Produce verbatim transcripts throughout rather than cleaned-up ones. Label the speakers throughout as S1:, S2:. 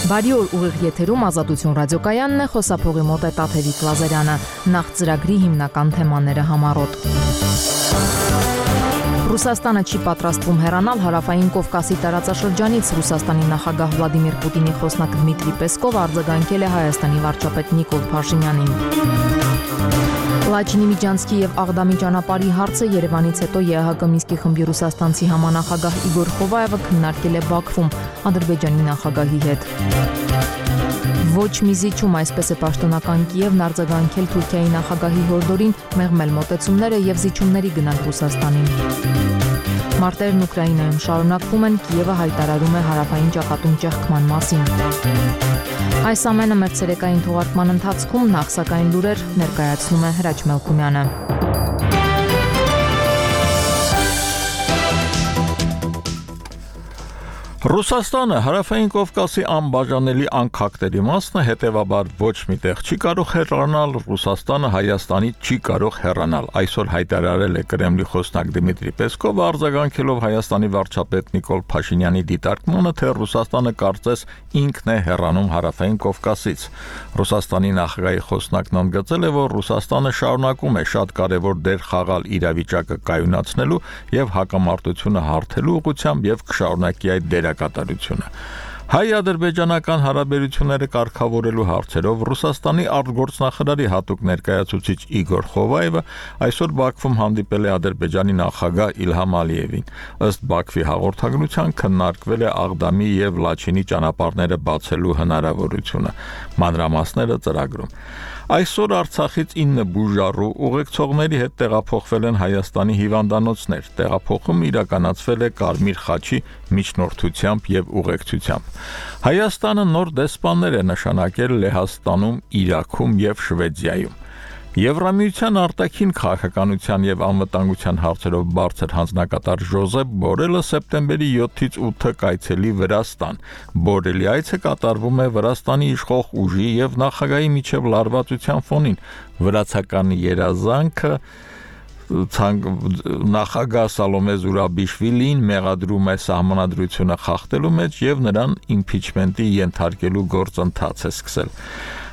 S1: Բարի օր, ուղիղ եթերում Ազատություն ռադիոկայանն է, խոսափողի մոտ է Տաթևիկ Լազարյանը, նախ ծրագրի հիմնական թեմաները համառոտ։ Ռուսաստանը չի պատրաստվում հեռանալ Հարավային Կովկասի տարածաշրջանից, Ռուսաստանի նախագահ Վլադիմիր Պուտինի խոսնակ Դմիտրի Պեսկովը արձագանքել է Հայաստանի վարչապետ Նիկոլ Փաշինյանին։ Լաչինի Միջանցքի եւ Աղդամի ճանապարհի հարցը Երևանից հետո ԵԱՀԿ Մինսկի խմբի ռուսաստանցի համանախագահ Իգոր Խովայևը քննարկել է Բաքվում Ադրբեջանի նախագահի հետ։ Ոչ մի զիջում, այսպես է պաշտոնական Կիևն արձագանքել Թուրքիայի նախագահի հորդորին մեղմել մոտեցումները եւ զիջումների գնալ Ռուսաստանին։ Մարտերն Ուկրաինայում շարունակվում են, Կիևը հայտարարում է հարավային ճակատում ճեղքման մասին։ Այս ամենը մեր ցերեկային թողարկման ընթացքում, նախ սակայն լուրեր ներկայացնում է Հրաչ Մելքումյանը։
S2: Ռուսաստանը Հարավային Կովկասի անբաժանելի անկախների մասն է, հետևաբար ոչ միտեղ չի կարող հեռանալ, Ռուսաստանը Հայաստանի չի կարող հեռանալ։ Այսօր հայտարարել է Կրեմլի խոսնակ Դմիտրի Պեսկովը, արձագանքելով Հայաստանի վարչապետ Նիկոլ Փաշինյանի դիտարկմանը, թե Ռուսաստանը կարծես ինքն է հեռանում Հարավային Կովկասից։ Ռուսաստանի նախագահի խոսնակն ընդգծել է, որ Ռուսաստանը շարունակում է շատ կարևոր դեր խաղալ իրավիճակը կայունացնելու եւ հակամարտությունը հարթելու ուղղությամբ եւ կշարունակի այդ դերը կատարությունը։ Հայ-ադրբեջանական հարաբերությունները կարգավորելու հարցերով Ռուսաստանի արտգործնախարարի հատուկ ներկայացուցիչ Իգոր Խովայևը այսօր Բաքվում հանդիպել է Ադրբեջանի նախագահ Իլհամ Ալիևին։ Ըստ Բաքվի հաղորդագրության քննարկվել է Աղդամի եւ Լաչինի ճանապարհները բացելու հնարավորությունը։ Մանրամասները ծրագրում։ Այսօր Արցախից ինը բուժառու ուղեկցողների հետ տեղափոխվել են Հայաստանի հիվանդանոցներ։ Տեղափոխումը իրականացվել է Կարմիր խաչի միջնորդությամբ եւ ուղեկցությամբ։ Հայաստանը նոր դեսպաններ է նշանակել Լեհաստանում, Իրաքում եւ Շվեդիայում։ Եվրամիության արտաքին քաղաքականության եւ անվտանգության հարցերով բարձր հանձնակատար Ժոզեփ Բորելը սեպտեմբերի յոթից ութը կայցելի Վրաստան։ Բորելի այցը կատարվում է Վրաստանի իշխող ուժի եւ նախագահի միջև լարվածության ֆոնին։ Վրացական երազանքը նախագահ Սալոմե Զուրաբիշվիլին մեղադրում է սահմանադրությունը խախտելու մեջ եւ նրան իմպիչմենտի ենթարկելու գործընթաց է սկսել։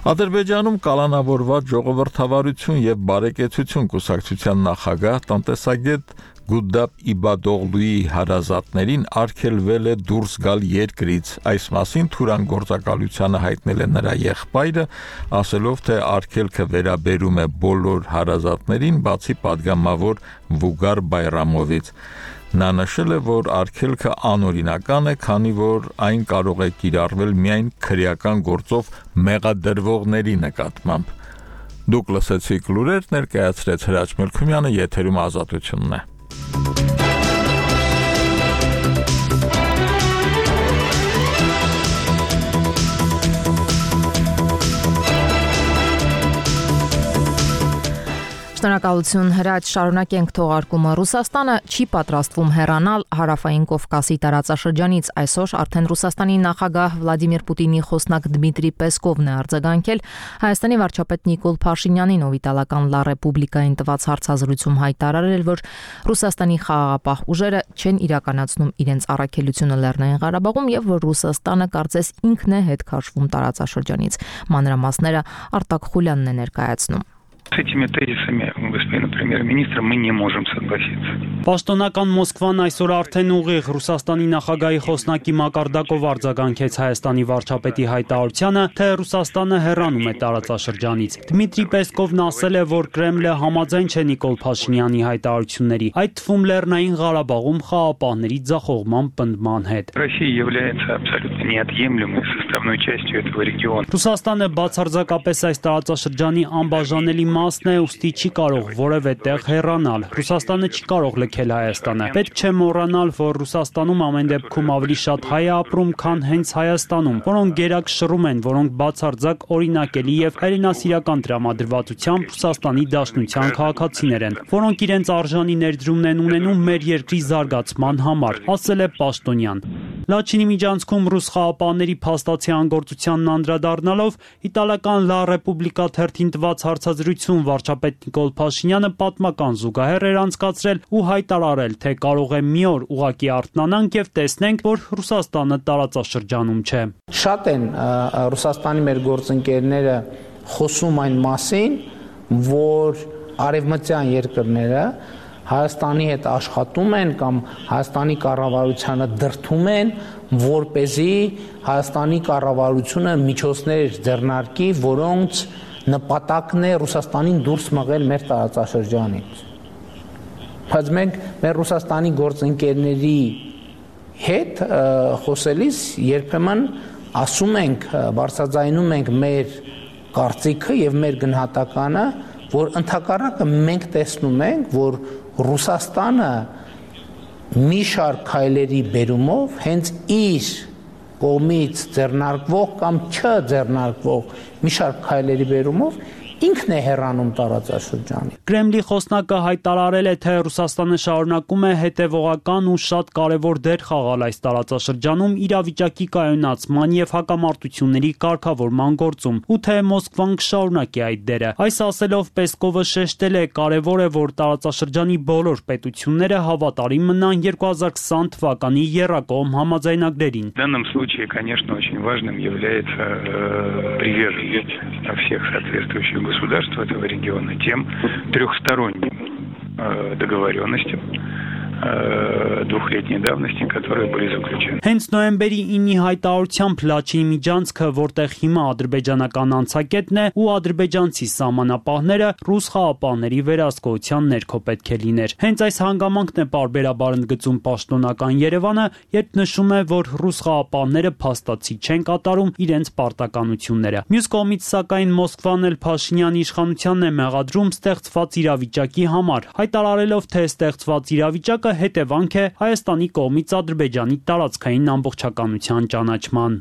S2: Ադրբեջանում կալանավորված ժողովրդավարություն եւ բարեկեցություն կուսակցության նախագահ տնտեսագետ Գուդապ Իբադօղլուի հարազատներին արգելվել է դուրս գալ երկրից։ Այս մասին Թուրան գործակալությանը հայտնել է նրա եղբայրը, ասելով, թե արգելքը վերաբերում է բոլոր հարազատներին, բացի падգամավոր Վուգար Բայրամովից։ Նա նշել է, որ արգելքը անօրինական է, քանի որ այն կարող է կիրառվել միայն քրեական գործով մեղադրվողների նկատմամբ։ Դուք լսեցիք լուրեր, ներկայացրեց Հրաչ Մելքումյանը, եթերում Ազատությունն է։
S1: Շնորհակալություն Հրաչ, շարունակենք թողարկումը։ Ռուսաստանը չի պատրաստվում հեռանալ Հարավային Կովկասի տարածաշրջանից։ Այսօր արդեն Ռուսաստանի նախագահ Վլադիմիր Պուտինի խոսնակ Դմիտրի Պեսկովն է արձագանքել Հայաստանի վարչապետ Նիկոլ Փաշինյանին, ով իտալական Լա Ռեպուբլիկային տված հարցազրույցում հայտարարել, որ Ռուսաստանի խաղաղապահ ուժերը չեն իրականացնում իրենց առաքելությունը Լեռնային Ղարաբաղում եւ որ Ռուսաստանը կարծես ինքն է հետ քաշվում տարածաշրջանից։ Մանրամասները Արտակ Խուլյանն է ներկայացնում։
S3: С этими тезисами господина премьер-министра мы не можем согласиться.
S4: Պաշտոնական Մոսկվան այսօր արդեն ուղիղ Ռուսաստանի նախագահի խոսնակի մակարդակով արձագանքեց Հայաստանի վարչապետի հայտարարությանը, թե Ռուսաստանը հեռանում է տարածաշրջանից։ Դմիտրի Պեսկովն ասել է, որ Կրեմլը համաձայն չէ Նիկոլ Փաշինյանի հայտարարությունների, այդ թվում Լեռնային Ղարաբաղում խաղապահների ձախողման պնդման հետ։
S3: Россия является абсолютно неотъемлемой составной частью этого региона.
S4: Ռուսաստանը բացարձակապես այս տարածաշրջանի անբաժանելի մասն է, ուստի չի կարող որևէ տեղ հեռանալ։ Ռուսաստանը չի կարող լքել Հայաստանը։ Պետք չէ մոռանալ, որ Ռուսաստանում ամեն դեպքում ավելի շատ հայ է ապրում, քան հենց Հայաստանում, որոնք գերակ շռում են, որոնք բացարձակ օրինակելի եւ հայրենասիրական տրամադրվածությամբ Ռուսաստանի Դաշնության քաղաքացիներ են, որոնք իրենց արժանի ներդրումն են ունենում մեր երկրի զարգացման համար, ասել է պաշտոնյան։ Լաչինի միջանցքում ռուս խաղապահների փաստացի անգործությանն անդրադառնալով իտալական Լա Ռեպուբլիկա թերթին տված հարցազրույցում հարաբերություն վարչապետ Նիկոլ Փաշինյանը պատմական զուգահեռ էր անցկացրել ու հայտարարել, թե կարող է մի օր ուղղակի արթնանանք եւ տեսնենք, որ Ռուսաստանը տարածաշրջանում չէ։
S5: Շատ են Ռուսաստանի մեր գործընկերները խոսում այն մասին, որ արևմտյան երկրները Հայաստանի հետ աշխատում են կամ Հայաստանի կառավարությանը դրդում են, որպեսզի Հայաստանի կառավարությունը միջոցներ ձեռնարկի, որոնց նպատակն է Ռուսաստանին դուրս մղել մեր տարածաշրջանից։ Բայց մենք մեր Ռուսաստանի գործընկերների հետ խոսելիս երբեմն ասում ենք, բարձրաձայնում ենք մեր կարծիքը եւ մեր գնահատականը, որ ընդհակառակը մենք տեսնում ենք, որ Ռուսաստանը մի շարք քայլերի բերումով հենց իր կողմից ձեռնարկվող կամ չձեռնարկվող մի շարք քայլերի բերումով ինքն է հեռանում տարածաշրջանից։
S4: Կրեմլի խոսնակը հայտարարել է, թե Ռուսաստանը շարունակում է հետևողական ու շատ կարևոր դեր խաղալ այս տարածաշրջանում իրավիճակի կայունացման եւ հակամարտությունների կարգավորման գործում, ու թե Մոսկվան կշարունակի այդ դերը։ Այս ասելով Պեսկովը շեշտել է, կարևոր է, որ տարածաշրջանի բոլոր պետությունները հավատարիմ մնան երկու հազար քսան թվականի եռակողմ համաձայնագրերին։
S3: В данном случае, конечно, очень важным является приверженность всех соответствующих государств этого региона тем трехсторонним договоренностям двухлетней давности, которые были заключены.
S4: Հենց նոյեմբերի ինի հայտարարությամբ Լաչինի միջանցքը, որտեղ հիմա ադրբեջանական անցակետն է ու ադրբեջանցի սահմանապահները ռուս խաղապահների վերահսկողության ներքո պետք է լիներ։ Հենց այս հանգամանքն է պարբերաբար ընդգծում պաշտոնական Երևանը, երբ նշում է, որ ռուս խաղապահները փաստացի չեն կատարում իրենց պարտականությունները։ Մյուս կողմից, սակայն, Մոսկվան էլ Փաշինյանի իշխանությանն է մեղադրում ստեղծված իրավիճակի համար, հայտարարելով, թե ստեղծված իրավիճակը հետևանք է Հայաստանի կողմից Ադրբեջանի տարածքային ամբողջականության ճանաչման։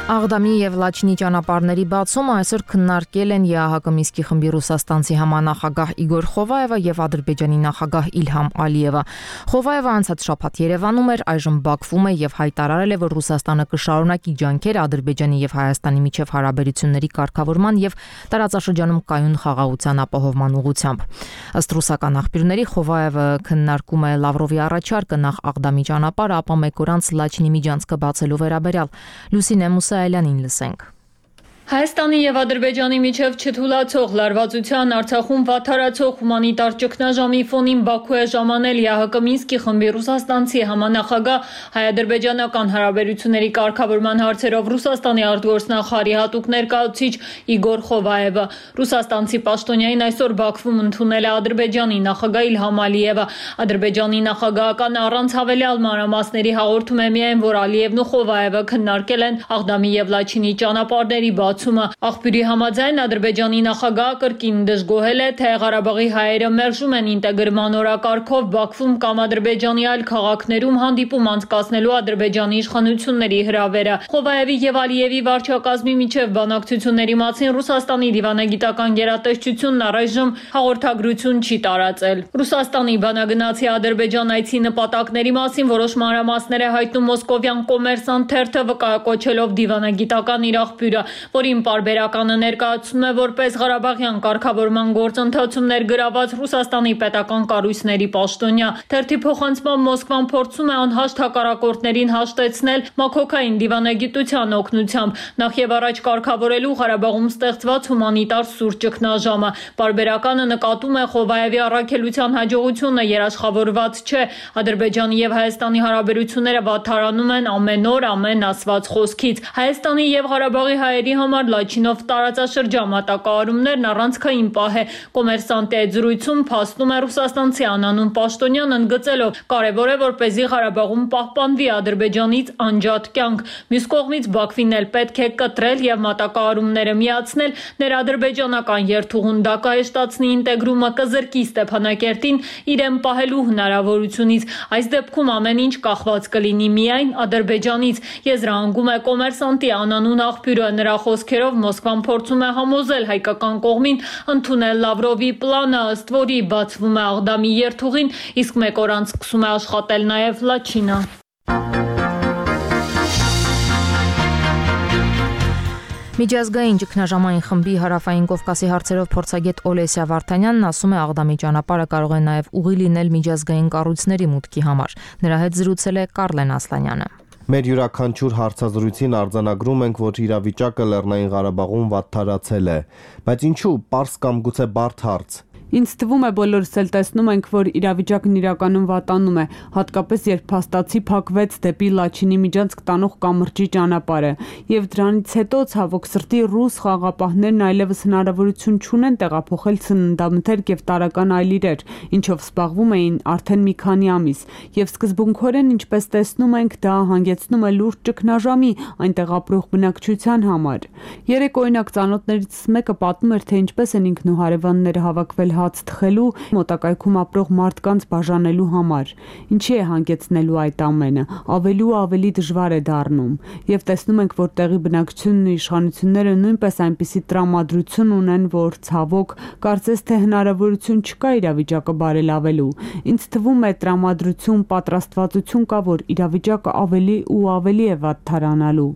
S1: Աղդամի եւ Լաչինի ճանապարհների բացումը այսօր քննարկել են ԵԱՀԿ Մինսկի խմբի ռուսաստանցի համանախագահ Իգոր Խովայևը եւ Ադրբեջանի նախագահ Իլհամ Ալիևը։ Խովայևը անցած շաբաթ Երևանում էր, այժմ Բաքվում է եւ հայտարարել է, որ Ռուսաստանը կշարունակի ջանքեր Ադրբեջանի եւ Հայաստանի միջև հարաբերությունների կարգավորման եւ տարածաշրջանում կայուն խաղաղության ապահովման ուղղությամբ։ Ըստ ռուսական աղբյուրների Խովայևը քննարկում է Լավրովի առաջարկը նախ Աղդամի ճանապարհը, ապա մեկ օր անց Լաչինի միջանցքը բացելու վերաբերյալ։ Լուսինե Այլանին լսենք։
S6: Հայաստանի եւ Ադրբեջանի միջև չթուլացող լարվածության, Արցախում վատթարացող հումանիտար ճգնաժամի ֆոնին Բաքու է ժամանել ԵԱՀԿ Մինսկի խմբի ռուսաստանցի համանախագահ հայ-ադրբեջանական հարաբերությունների կարգավորման հարցերով Ռուսաստանի արտգործնախարարի հատուկ ներկայացուցիչ Իգոր Խովայևը։ Ռուսաստանցի պաշտոնյային այսօր Բաքվում ընդունել է Ադրբեջանի նախագահ Իլհամ Ալիևը։ Ադրբեջանի նախագահական առանց հավելյալ մանրամասների հաղորդում է միայն, որ Ալիևն ու Խովայևը քննարկել են Աղդամի եւ Լաչինի ճանապարհների Աղբյուրի համաձայն Ադրբեջանի նախագահը կրկին դժգոհել է, թե Ղարաբաղի հայերը մերժում են ինտեգրման օրակարգով Բաքվում կամ Ադրբեջանի այլ քաղաքներում հանդիպում անցկացնելու Ադրբեջանի իշխանությունների հրավերը։ Խովայևի եւ Ալիևի վարչակազմի միջև բանակցությունների մասին Ռուսաստանի դիվանագիտական գերատեսչությունն առայժմ հաղորդագրություն չի տարածել։ Ռուսաստանի բանագնացի Ադրբեջան այցի նպատակների մասին որոշ մանրամասներ է հայտնում մոսկովյան Կոմերսանտ թերթը, վկայակոչելով դիվանագիտական իր աղբյուրը, որին պարբերականը ներկայացնում է որպես Ղարաբաղյան կարգավորման գործընթացում ներգրաված Ռուսաստանի պետական կառույցների պաշտոնյա։ Թերթի փոխանցմամբ Մոսկվան փորձում է անհաշտ հակառակորդներին հաշտեցնել մաքոքային դիվանագիտության օգնությամբ, նախ եւ առաջ կարգավորելու Ղարաբաղում ստեղծված հումանիտար սուր ճգնաժամը։ Պարբերականը նկատում է Խովայևի առաքելության հաջողությունը երաշխավորված չէ։ Ադրբեջանի եւ Հայաստանի հարաբերությունները վատթարանում են ամեն օր, ամեն ասված խոսքից։ Հայաստանի եւ Ղարաբաղի հայերի համար Լաչինով տարածաշրջան մատակարարումներն առանցքային պահ է։ Կոմերսանտի այդ զրույցում փաստում է ռուսաստանցի անանուն պաշտոնյան, ընդգծելով կարևոր է, որպեսզի Ղարաբաղում պահպանվի Ադրբեջանից անջատ կյանք։ Մյուս կողմից Բաքվին էլ պետք է կտրել եւ մատակարարումները միացնել, ներադրբեջանական երթուղուն դա կհեշտացնի ինտեգրումը, կզրկի Ստեփանակերտին իրեն պահելու հնարավորությունից։ Այս դեպքում ամեն ինչ կախված կլինի միայն Ադրբեջանից։ Եզրահանգում է Կոմերսանտի անանուն աղբյուրը։ Նրա խոսքերով Մոսկվան փորձում է համոզել հայկական կողմին ընդունել Լավրովի պլանը, ըստ որի բացվում է Աղդամի երթուղին, իսկ մեկ օր անց սկսում է աշխատել նաև Լաչինը։
S1: Միջազգային ճգնաժամային խմբի հարավային Կովկասի հարցերով փորձագետ Օլեսիա Վարդանյանն ասում է, Աղդամի ճանապարհը կարող է նաև ուղի լինել միջազգային կառույցների մուտքի համար։ Նրա հետ զրուցել է Կարլեն Ասլանյանը։
S7: Մեր յուրաքանչյուր հարցազրույցին արձանագրում ենք, որ իրավիճակը Լեռնային Ղարաբաղում վատթարացել է, բայց ինչու, պարզ կամ գուցե բարդ հարց։
S8: Ինձ թվում է բոլորս էլ տեսնում ենք, որ իրավիճակն իրականում վատանում է, հատկապես երբ փաստացի փակվեց դեպի Լաչինի միջանցք տանող կամրջի ճանապարհը, եւ դրանից հետո ցավոք սրտի ռուս խաղաղապահներն այլևս հնարավորություն չունեն տեղափոխել սննդամթերք եւ տարական այլ իրեր, ինչով զբաղվում էին արդեն մի քանի ամիս, եւ սկզբունքորեն, ինչպես տեսնում ենք, դա հանգեցնում է լուրջ ճգնաժամի այնտեղ ապրող բնակչության համար։ Երեք օրինակ ծանոթներից մեկը պատմում էր, թե ինչպես են ինքն ու հարևանները հավաքվել հաց թխելու, մոտակայքում ապրող մարդկանց բաժանելու համար։ Ինչի է հանգեցնելու այդ ամենը, ավելի ու ավելի դժվար է դառնում, եւ տեսնում ենք, որ տեղի բնակչությունն ու իշխանությունները նույնպես այնպիսի տրամադրություն ունեն, որ ցավոք կարծես թե հնարավորություն չկա իրավիճակը բարելավելու։ Ինձ թվում է տրամադրություն, պատրաստվածություն կա, որ իրավիճակը ավելի ու ավելի է վատթարանալու։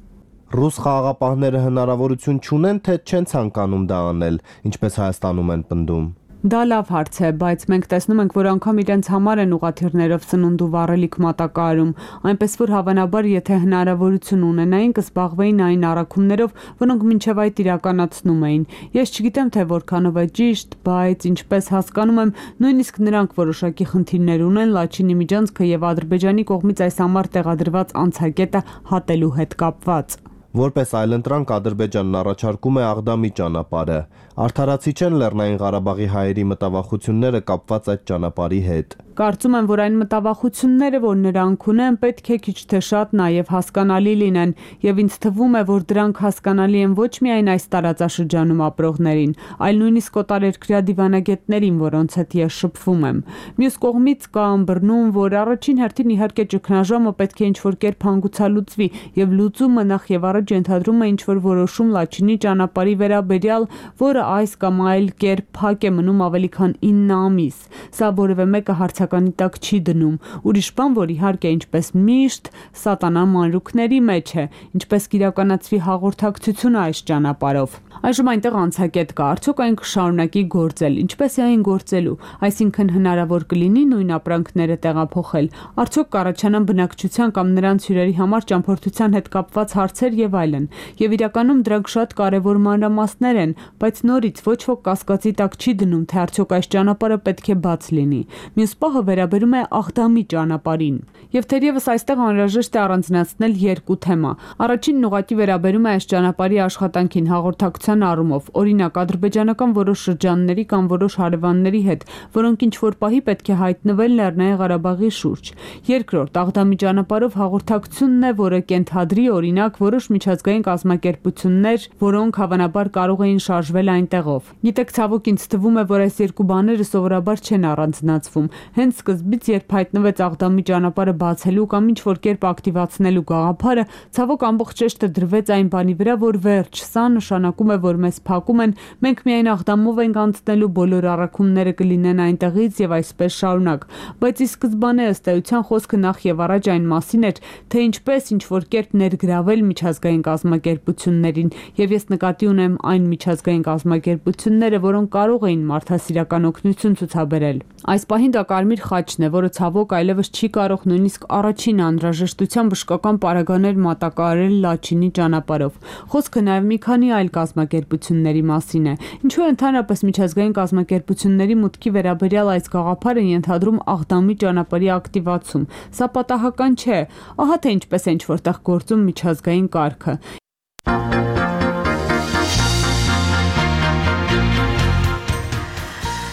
S7: Ռուս խաղաղապահները հնարավորություն չունեն, թե չեն ցանկանում դա անել, ինչպես Հայաստանում են պնդում։
S8: Դա լավ հարց է, բայց մենք տեսնում ենք, որ անգամ իրենց համար են ուղաթիռներով սնունդ ու վառելիք մատակարարում, այնպես որ հավանաբար, եթե հնարավորություն ունենային, կզբաղվեին այն առաքումներով, որոնք մինչև այդ իրականացնում էին։ Ես չգիտեմ, թե որքանով է ճիշտ, բայց ինչպես հասկանում եմ, նույնիսկ նրանք որոշակի խնդիրներ ունեն Լաչինի միջանցքը եւ Ադրբեջանի կողմից այս համար տեղադրված անցակետը հատելու հետ կապված։
S7: Որպես այլընտրանք Ադրբեջանն առաջարկում է Աղդամի ճանապարհը։ Արդարացի չեն Լեռնային Ղարաբաղի հայերի մտավախությունները կապված այդ ճանապարհի հետ։
S8: Կարծում եմ, որ այն մտավախությունները, որ նրանք ունեն, պետք է քիչ թե շատ նաև հասկանալի լինեն, եւ ինձ թվում է, որ դրանք հասկանալի են ոչ միայն այս տարածաշրջանում ապրողներին, այլ նույնիսկ օտարերկրյա դիվանագետներին, որոնց հետ ես շփվում եմ։ Մյուս կողմից կա ըմբռնում, որ առաջին հերթին իհարկե ճգնաժամը պետք է ինչ-որ կերպ հանգուցալուծվի, եւ լուծումը նախ եւ առաջ ենթադրում է ինչ-որ որոշում Լաչինի ճանապարհի վերաբերյալ, որը այս կամ այլ կերպ փակ է մնում ավելի քան ինը ամիս։ Սա որևէ մեկը հարցականի տակ չի դնում։ Ուրիշ բան, որ իհարկե ինչպես միշտ սատանան մանրուքների մեջ է, ինչպես կիրականացվի հաղորդակցությունը այս ճանապարհով։ Այժմ այնտեղ անցակետ կա, արդյոք այն կշարունակի գործել, ինչպես է այն գործելու, այսինքն հնարավոր կլինի նույն ապրանքները տեղափոխել, արդյոք կառաջանան բնակչության կամ նրանց հյուրերի համար ճամփորդության հետ կապված հարցեր եւ այլն։ Եվ իրականում դրանք շատ կարեւոր մանրամասներ են, բայց նորից ոչ ոք կասկածի տակ չի դնում, թե արդյոք այս ճանապարհը պետք է բաց լինի։ Մյուս պահը վերաբերում է Աղդամի ճանապարհին։ Եվ թերևս այստեղ անհրաժեշտ է առանձնացնել երկու թեմա։ Առաջինն ուղղակի վերաբերում է այս ճանապարհի աշխատանքին հաղորդակցության առումով, օրինակ ադրբեջանական որոշ շրջանների կամ որոշ հարևանների հետ, որոնք ինչ-որ պահի պետք է հայտնվեն Լեռնային Ղարաբաղի շուրջ։ Երկրորդ, Աղդամի ճանապարհով հաղորդակցությունն է, որը կենթադրի օրինակ որոշ միջազգային կազմակերպություններ, որոնք հավանաբար կարող էին շարժվել այնտեղով։ Գիտեք, ցավոք ինձ թվում է, որ այս երկու բաները սովորաբար չեն առանձնացվում։ Հենց սկզբից, երբ հայտնվեց Աղդամի ճանապարհը բացելու կամ ինչ-որ կերպ ակտիվացնելու գաղափարը, ցավոք ամբողջ շեշտը դրվեց այն բանի վրա, որ վերջ, սա նշանակում է, որ մեզ փակում են, մենք միայն Աղդամով ենք անցնելու, բոլոր առաքումները կլինեն այնտեղից եւ այսպես շարունակ։ Բայց ի սկզբանե ըստ էության խոսքը նախ եւ առաջ այն մասին էր, թե ինչպես ինչ-որ կերպ ներգրավել միջազգային կազմակերպություններին, եւ ես նկատի ունեմ այն միջազգային կազմակերպությունները, որոնք կարող էին մարդասիրական օգնություն ցուցաբերել։ Այս պահին դա կարմիր խաչն է, որը ցավոք այլևս չի կարող նույնիսկ առաջին անհրաժեշտության բժշկական պարագաներ մատակարարել Լաչինի ճանապարհով։ Խոսքը նաև մի քանի այլ կազմակերպությունների մասին է։ Ինչու է ընդհանրապես միջազգային կազմակերպությունների մուտքի վերաբերյալ այս գաղափարը ենթադրում Աղդամի ճանապարհի ակտիվացում։ Սա պատահական չէ։ Ահա թե ինչպես է ինչ-որտեղ գործում միջազգային կարգը։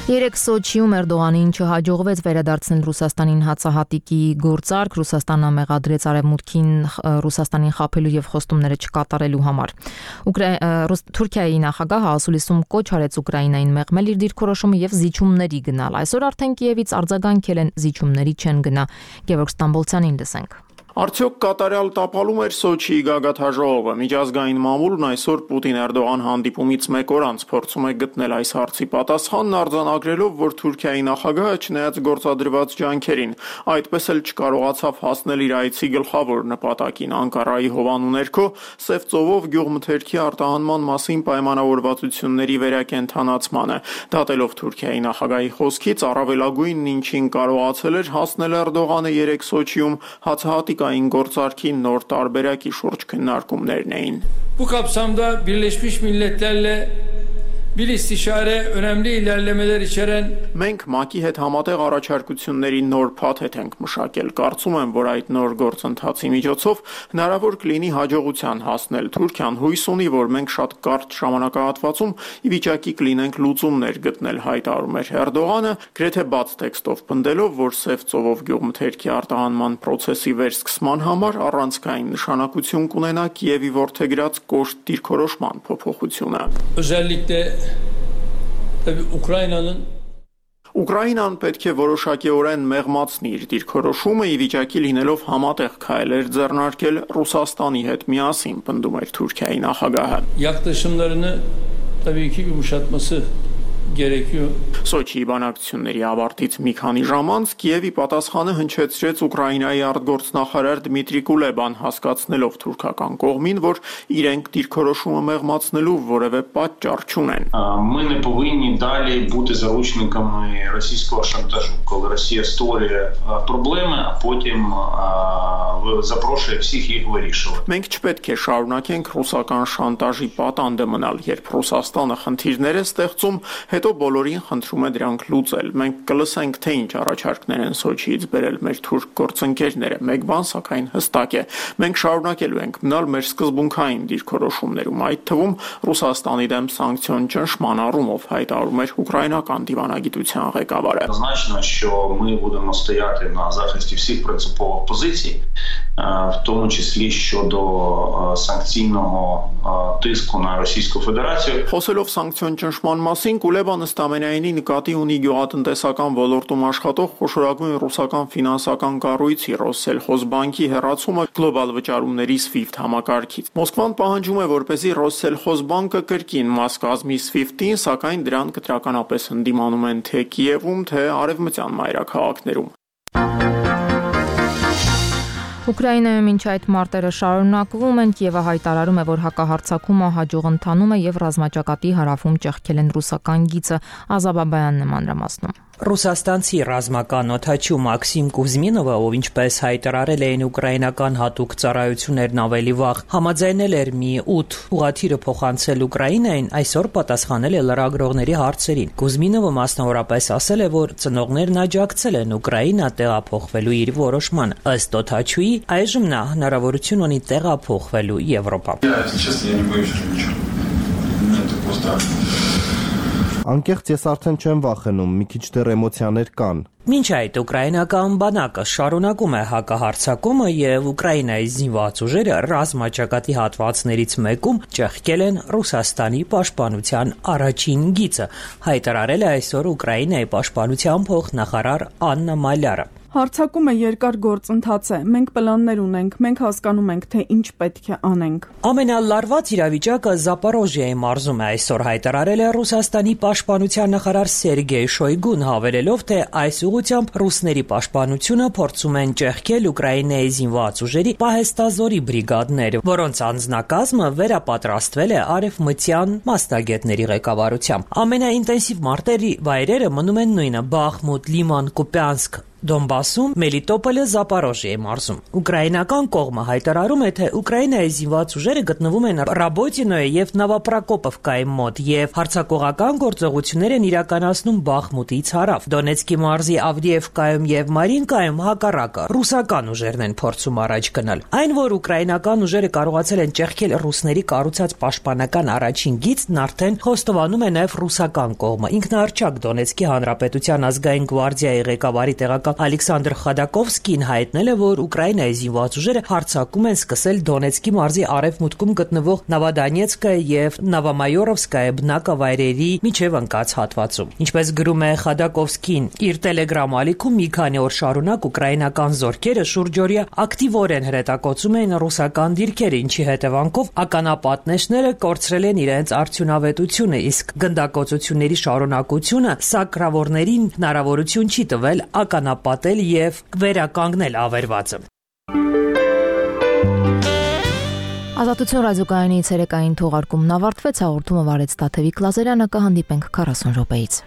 S1: Երեք Սոչիում Էրդողանին չհաջողվեց վերադարձնել Ռուսաստանին հացահատիկի գործարք, Ռուսաստանը մեղադրեց Արևմուտքին Ռուսաստանին խաբելու եւ խոստումները չկատարելու համար։ Թուրքիայի նախագահը ասուլիսում կոչ արեց Ուկրաինային մեղմել իր դիրքորոշումը եւ զիջումների գնալ։ Այսօր արդեն Կիևից արձագանքել են զիջումների չեն գնա։ Գևորգ Ստամբոլցյանին լսենք։
S9: Արդյոք կատարյալ տապալում էր Սոչիի գագաթաժողովը։ Միջազգային մամուլն այսօր Պուտին-Էրդողան հանդիպումից մեկ օր անց փորձում է գտնել այս հարցի պատասխանն, արձանագրելով, որ Թուրքիայի նախագահը չնայած գործադրված ջանքերին, այդպես էլ չկարողացավ հասնել իր այցի գլխավոր նպատակին՝ Անկարայի հովանու ներքո Սև ծովով գյուղմթերքի արտահանման մասին պայմանավորվածությունների վերակենդանացմանը։ Դատելով Թուրքիայի նախագահի խոսքից, առավելագույնն ինչին կարողացել էր հասնել Էրդողանը երեք Սոչիում, հացահատիկային գործարքի նոր տարբերակի շուրջ քննարկումներն էին։
S10: Bu kapsamda Birleşmiş Milletler'le bir istişare önemli ilerlemeler içeren
S9: Մենք ՄԱԿ-ի հետ համատեղ առաջարկությունների նոր փաթեթ ենք մշակել։ Կարծում եմ, որ այդ նոր գործընթացի միջոցով հնարավոր կլինի հաջողության հասնել։ Թուրքիան հույս ունի, որ մենք շատ կարճ ժամանակահատվածում ի վիճակի կլինենք լուծումներ գտնել, հայտարարում էր Էրդողանը, գրեթե բաց տեքստով պնդելով, որ Սև ծովով գյուղմթերքի արտահանման process-ի վերսկսման համար առանցքային նշանակություն կունենա Կիևի որդեգրած կոշտ դիրքորոշման փոփոխությունը։
S10: Özellikle tabii Ukrayna'nın
S9: Ուկրաինան պետք է որոշակիորեն մեղմացնի իր դիրքորոշումը, ի վիճակի լինելով համատեղ քայլեր ձեռնարկել Ռուսաստանի հետ միասին, պնդում էր Թուրքիայի նախագահը։
S10: Yaklaşımlarını tabii ki yumuşatması gerekiyor.
S9: Սոչիի բանակցությունների ավարտից մի քանի ժամ անց Կիևի պատասխանը հնչեցրեց Ուկրաինայի արտգործնախարար Դմիտրի Կուլեբան, հասկացնելով թուրքական կողմին, որ իրենք դիրքորոշումը մեղմացնելու որևէ պատճառ չունեն։
S11: Ми не повинні далі бути заручниками російського шантажу, коли Росія створює проблеми, а потім запрошує всіх їх вирішувати.
S9: Մենք չպետք է շարունակենք ռուսական շանտաժի պատանդը մնալ, երբ Ռուսաստանը խնդիրներ է ստեղծում, հետո բոլորին խնդրում է դրանք լուծել։ Մենք կլսենք, թե ինչ առաջարկներ են Սոչիից բերել մեր թուրք գործընկերները։ Մեկ բան սակայն հստակ է։ Մենք շարունակելու ենք մնալ մեր սկզբունքային դիրքորոշումներում, այդ թվում Ռուսաստանի դեմ սանկցիոն ճնշման առումով, հայտարարում էր ուկրաինական դիվանագիտության ղեկավարը։
S11: Однозначно, що ми будемо стояти на захисті всіх принципових позицій, в тому числі щодо санкційного тиску на Російську Федерацію.
S9: Խոսելով սանկցիոն ճնշման մասին, Կուլեբան ըստամենայինի նկատի ունի գյուղատնտեսական ոլորտում աշխատող խոշորագույն ռուսական ֆինանսական կառույցի Ռոսսելխոզբանկի հեռացումը գլոբալ վճարումների SWIFT համակարգից։ Մոսկվան պահանջում է, որպեսզի Ռոսսելխոզբանկը կրկին մաս կազմի SWIFT-ին, սակայն դրան կտրականապես ընդդիմանում են թե Կիևում, թե արևմտյան մայրաքաղաքներում։
S1: Ուկրաինայում մինչ այդ մարտերը շարունակվում են, Կիևը հայտարարում է, որ հակահարձակումը հաջող ընթանում է եւ ռազմաճակատի հարավում ճեղքել են ռուսական գիծը։ Ազաբաբայանն է մանրամասնում։
S12: Ռուսաստանցի ռազմական օդաչու Մաքսիմ Կուզմինովը, ով ինչպես հայտարարել էին ուկրաինական հատուկ ծառայություններն ավելի վաղ, համաձայնել էր մի ութ ուղղաթիռը փոխանցել Ուկրաինային, այսօր պատասխանել է լրագրողների հարցերին։ Կուզմինովը մասնավորապես ասել է, որ ծնողներն աջակցել են Ուկրաինա տեղափոխվելու իր որոշմանը։ Ըստ օդաչուի, այժմ նա հնարավորություն ունի տեղափոխվելու Եվրոպա։
S7: Անկեղծ ես արդեն չեմ վախենում, մի քիչ դեռ էմոցիաներ կան։
S12: Մինչ այդ ուկրաինական բանակը շարունակում է հակահարձակումը եւ Ուկրաինայի զինված ուժերը ռազմաճակատի հատվածներից մեկում ճեղքել են Ռուսաստանի պաշտպանության առաջին գիծը, հայտարարել է այսօր Ուկրաինայի պաշտպանության փոխնախարար Աննա Մալյարը։
S13: Հարձակումը երկար գործընթաց է։ Մենք պլաններ ունենք, մենք հասկանում ենք, թե ինչ պետք է անենք։
S12: Ամենալարված իրավիճակը Զապորոժիայի մարզում է, այսօր հայտարարել է Ռուսաստանի պաշտպանության նախարար Սերգեյ Շոյգուն, հավելելով, թե այս ուղղությամբ ռուսների պաշտպանությունը փորձում են ճեղքել Ուկրաինայի զինված ուժերի պահեստազորի բրիգադները, որոնց անձնակազմը վերապատրաստվել է արևմտյան մասնագետների ղեկավարությամբ։ Ամենաինտենսիվ մարտերի վայրերը մնում են նույնը՝ Բախմուտ, Լիման, Կուպյանսկ, Դոնբասում, Մելիտոպոլը, Զապորոժիայի մարզում։ Ուկրաինական կողմը հայտարարում է, թե Ուկրաինայի զինված ուժերը գտնվում են Ռաբոտինոյի եւ Նավապրակոպովկայի մոտ եւ հարձակողական գործողություններ են իրականացնում Բախմուտից հարավ։ Դոնեցկի մարզի Ավդիևկայում եւ Մարինկայում հակառակը ռուսական ուժերն են փորձում առաջ գնալ։ Այն, որ ուկրաինական ուժերը կարողացել են ճեղքել ռուսների կառուցած պաշտպանական առաջին գիծն, արդեն խոստովանում է նաեւ ռուսական կողմը։ Ինքնահռչակ Դոնեցկի հանրապետության ազգային գվարդիայի ղեկավարի տեղակալ նախագահ Ալեքսանդր Խադակովսկին հայտնել է, որ Ուկրաինայի զինված ուժերը հարձակում են սկսել Դոնեցկի մարզի արևմուտքում գտնվող Նովոդոնեցկը եւ Նովոմայորովսկայ բնակավայրերի միջև ընկած հատվածում։ Ինչպես գրում է Խադակովսկին իր Telegram ալիքում, մի քանի օր շարունակ ուկրաինական զորքերը շուրջօրյա ակտիվորեն հրետակոծում էին ռուսական դիրքեր, ինչի հետևանքով ականապատնեշները կորցրել են իրենց արդյունավետությունը, իսկ գնդակոծությունների շարունակությունը սակրավորներին հնարավորություն չի տվել ականապատել եւ վերականգնել ավերվածը։
S1: Ազատություն ռադիոկայանի ցերեկային թողարկումն ավարտվեց, հաղորդումը վարեց Տաթևիկ Լազարյանը, կհանդիպենք քառասուն րոպեից։